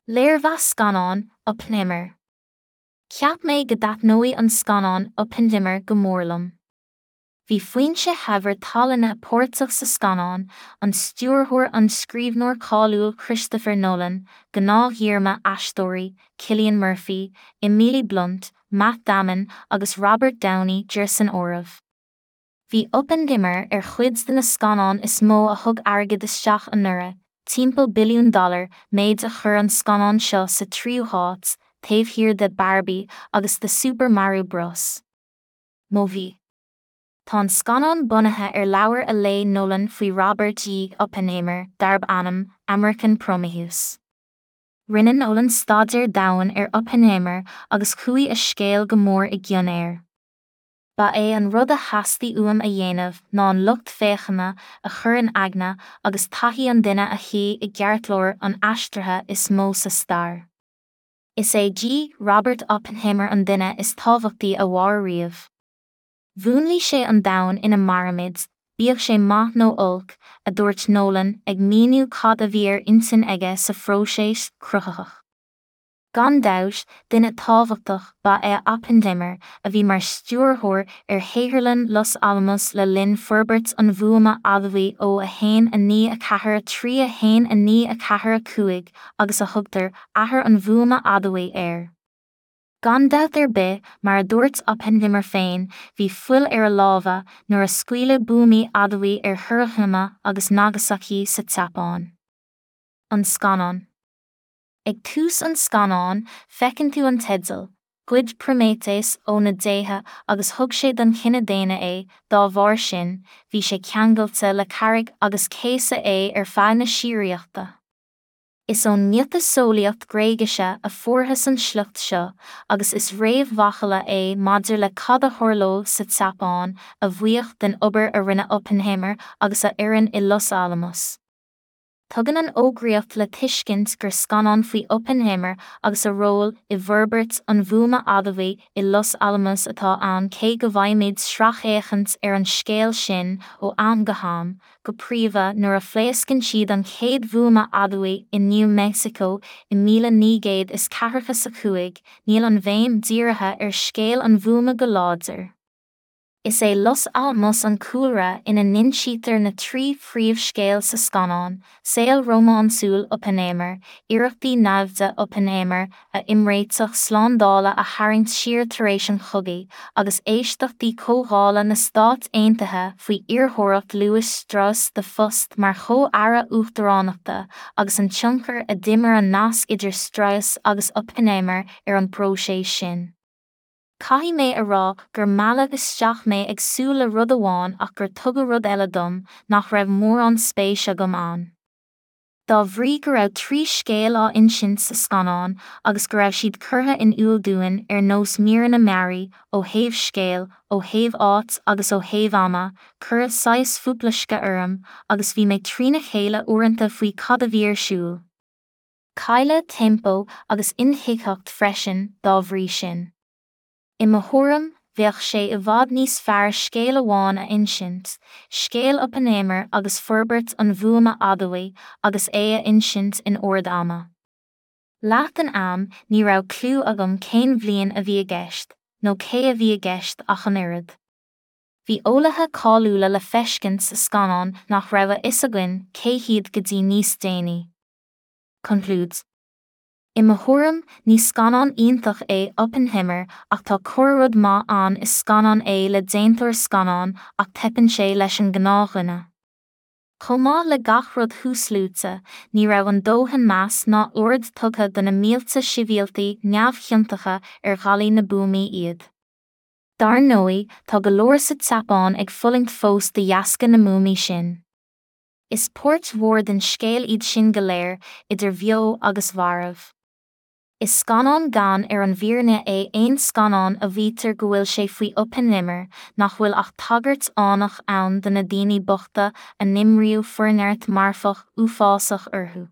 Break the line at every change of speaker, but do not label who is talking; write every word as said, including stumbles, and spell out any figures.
Léirmheas scannáin, Oppenheimer. Cheap mé go dtaitneoidh an scannán Oppenheimer go mór liom. Bhí foinse shaibhir tallainne páirteach sa scannán, an stiúrthóir an scríbhneoir cáiliúil Christopher Nolan, gnáth-dhíorma aisteoirí, Cillian Murphy, Emily Blunt, Matt Damon agus Robert Downey Jr san áireamh. Bhí Oppenheimer ar chuid de na scannáin is mó a thug airgead isteach anuraidh, timpeall billiún dollar, méid a chuir an scannán seo sa tríú háit, taobh thiar de Barbie agus de Super Mario Bros. Movie. Tá an scannán bunaithe ar leabhar a léigh Nolan faoi Robert E. Oppenheimer darb ainm American Prometheus. Rinne Nolan staidéar domhain ar Oppenheimer agus chuaigh a scéal go mór i gcion air. Ba é an rud a theastaigh uaim a dhéanamh ná an lucht féachana a chur in aigne agus taithí an duine a shuí i gceartlár an aistrithe is mó sa stair. Is é G. Robert Oppenheimer an duine is tábhachtaí a mhair riamh. Mhúnlaigh sé an domhan ina mairimid, bíodh sé maith nó olc, a dúirt Nolan ag míniú cad a bhí ar intinn aige sa phróiseas cruthaitheach. Gan dabht, duine tábhachtach ba ea Oppenheimer a bhí mar stiúrthóir ar shaotharlann Los Alamos le linn forbairt an bhuama adamhaigh ó a haon a naoi a ceathair a trí a haon a naoi a ceathair a cúig agus a thugtar athair an bhuama adamhaigh air. Gan dabht ar bith, mar a dúirt Oppenheimer féin, bhí fuil ar a lámha nuair a scaoileadh buamaí adamhaigh ar Hiroshima agus Nagasaki sa tSeapáin. An scannán. Ag tús an scannáin, feiceann tú an teideal, Ghoid Proiméitéas ó na déithe agus thug sé don chine daonna é, dá bharr sin, bhí sé ceangailte le carraig agus céasadh é ar feadh na síoraíochta. Is ón miotaseolaíocht Ghréigise a fuarthas an sliocht seo, agus is réamh-mhacalla é maidir le cad a tharlódh sa tSeapáin a bhuíoch den obair a rinne Oppenheimer agus a fhoireann i Los Alamos. Tugann an fhógraíocht le tuiscint gur scannán faoi Oppenheimer agus a ról i bhforbairt an bhuama adamhaigh i Los Alamos atá ann cé go bhfaighimid sracfhéachaint ar an scéal sin ó am go ham, go príomha nuair a phléascann siad an chéad bhuama adamhaigh i New Mexico i míle naoi gcéad is ceathracha a cúig, níl an bhéim dírithe ar scéal an bhuama go láidir. Is é Los Alamos an cúlra ina n-insítear na trí phríomhscéal sa scannán, saol rómánsúil Oppenheimer, iarrachtaí naimhde Oppenheimer a imréiteach slándála a tharraingt siar tar éis an chogaidh, agus éisteachtaí Comhdhála na Stát Aontaithe faoi iarrthóireacht Lewis Strauss do phost mar chomh-aire uachtaránachta agus an tionchar a d'imir an nasc idir Strauss agus Oppenheimer ar an bpróiseas sin. Caithfidh mé a rá gur mealladh isteach mé ag súil le rud amháin ach gur tugadh rud eile dom nach raibh mórán spéis agam ann. Dá bhrí go raibh trí scéal á insint sa scannán agus go raibh siad curtha in iúl dúinn ar nós míreanna mearaí, ó thaobh scéil, ó thaobh áit agus ó thaobh ama, cuireadh saghas fuaiploisce orm agus bhí mé trína chéile uaireanta faoi cad a bhí ar siúl. Cailleadh tempo agus intuigtheacht freisin dá bhrí sin. I mo thuairim, bheadh sé i bhfad níos fearr scéal amháin a insint, scéal Oppenheimer agus forbairt an bhuama adamhaigh agus é a insint in ord ama. Leath den am, ní raibh cliú agam cén bhliain a bhí i gceist, nó cé a bhí i gceist ach an oiread. Bhí eolaithe cáiliúla le feiscint sa scannán nach raibh a fhios againn cé hiad go dtí níos déanaí. Concludes. I mo thuairim, ní scannán iontach é Oppenheimer ach tá corrrud maith ann is scannán é le déantóir scannán ach teipeann sé leis an ngnáthdhuine. Chomh maith le gach rud thuasluaite, ní raibh an dóthain meas ná aird tugtha do na mílte sibhialtaigh neamhchiontacha ar ghallaí na buamaí iad. Dar ndóigh, tá go leor sa tSeapáin ag fulaingt fós de dheasca na mbuamaí sin. Is páirt mhór den scéal iad sin go léir, idir bheo agus mharbh. Is scannán gann ar an bhfírinne é aon scannán a mhaítear go bhfuil sé faoi Oppenheimer nach bhfuil ach tagairt fhánach ann do na daoine bochta a n-imríodh forneart marfach uafásach orthu.